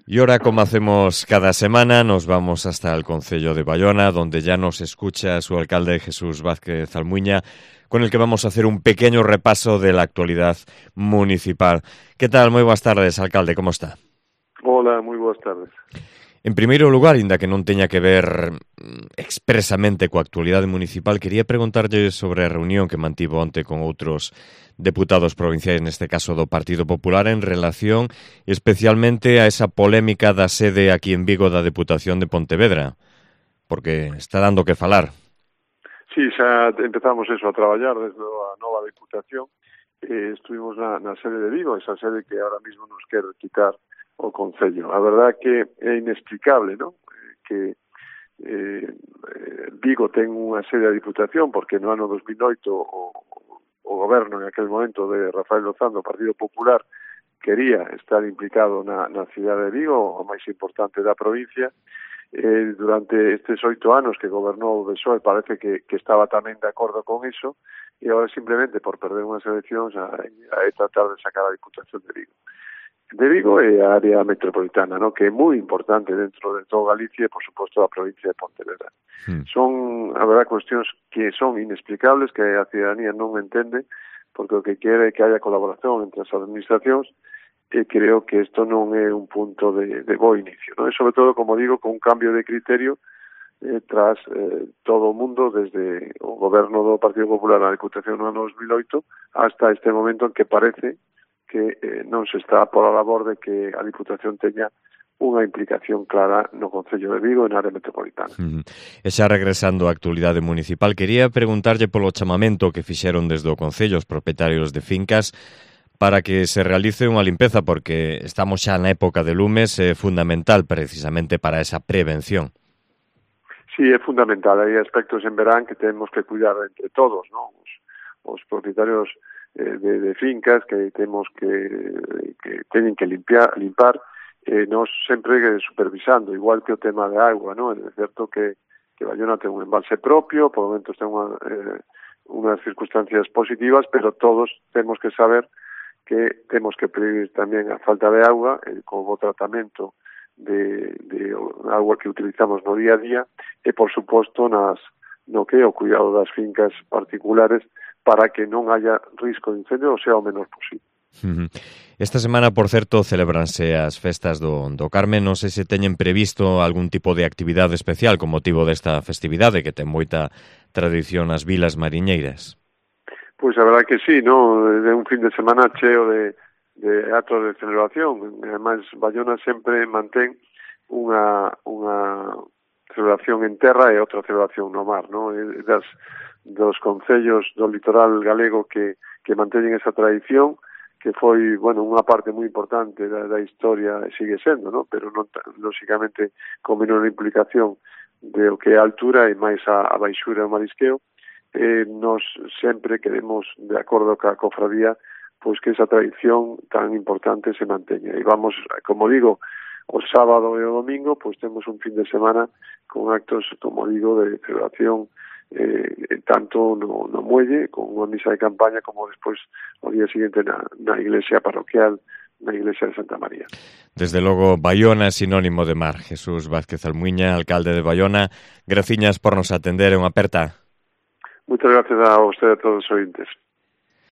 Y ahora, como hacemos cada semana, nos vamos hasta el concello de Baiona, donde ya nos escucha su alcalde Jesús Vázquez Almuiña, con el que vamos a hacer un pequeño repaso de la actualidad municipal. ¿Qué tal? Moi boas tardes, alcalde, como está? Hola, moi boas tardes. En primeiro lugar, inda que non teña que ver expresamente coa actualidade municipal, quería preguntarlle sobre a reunión que mantivo onte con outros deputados provinciais, neste caso do Partido Popular, en relación especialmente a esa polémica da sede aquí en Vigo da Deputación de Pontevedra, porque está dando que falar. Sí, xa empezamos eso a traballar desde a nova Deputación. Estuvimos na sede de Vigo, esa sede que ahora mismo nos quer quitar o Concello. A verdad que é inexplicable, ¿no? Que Vigo ten unha sede da Diputación porque no ano 2008 o goberno en aquel momento de Rafael Lozán do Partido Popular quería estar implicado na cidade de Vigo, a máis importante da provincia. Durante estes 8 anos que gobernou o PSOE parece que estaba tamén de acordo con iso e agora simplemente por perder unhas eleccións a tratar de sacar a Diputación de Vigo e a área metropolitana, ¿no? Que é moi importante dentro de todo Galicia e, por suposto, a provincia de Pontevedra. Son, a verdad, cuestións que son inexplicables, que a ciudadanía non entende, porque o que quere é que haya colaboración entre as administracións, e creo que isto non é un punto de bo inicio, ¿no? E, sobre todo, como digo, con un cambio de criterio tras todo o mundo, desde o goberno do Partido Popular na Diputación no ano 2008 hasta este momento en que parece que non se está por a labor de que a Diputación teña unha implicación clara no Concello de Vigo e na área metropolitana. E xa regresando á actualidade municipal, quería preguntarlle polo chamamento que fixeron desde o Concello os propietarios de fincas para que se realice unha limpeza, porque estamos xa na época de lumes, é fundamental precisamente para esa prevención. Sí, é fundamental. Hai aspectos en verán que temos que cuidar entre todos, ¿no? Os propietarios de fincas que temos que teñen que limpar, nos sempre supervisando, igual que o tema de agua, ¿no? É certo que Baiona ten un embalse propio, por momentos ten unhas circunstancias positivas, pero todos temos que saber que temos que prevenir tamén a falta de agua, con o tratamento de agua que utilizamos no día a día, e, por suposto, no que é o cuidado das fincas particulares, para que non haya risco de incendio, ou sea, o menor posible. Esta semana, por certo, celebranse as festas do Carme. Non sei se teñen previsto algún tipo de actividade especial con motivo desta festividade, que ten moita tradición nas vilas mariñeiras. Pois a verdade que sí, ¿no? É un fin de semana cheo de actos de celebración. Ademais, Baiona sempre mantén unha celebración en terra e outra celebración no mar, ¿no? Dos concellos do litoral galego que manteñen esa tradición, que foi, bueno, unha parte moi importante da historia e sigue sendo, ¿no? Pero non, lóxicamente, con menor implicación de o que é a altura e máis a baixura e o marisqueo. Nos sempre queremos, de acordo ca cofradía, pois que esa tradición tan importante se manteña. E vamos, como digo, o sábado e o domingo, pois temos un fin de semana con actos, como digo, de celebración tanto no muelle, con unha misa de campaña, como despois o día seguinte na iglesia parroquial, na iglesia de Santa María. Desde logo, Baiona é sinónimo de mar. Jesús Vázquez Almuiña, alcalde de Baiona, graciñas por nos atender, unha aperta. Muchas gracias a usted e a todos os ointes.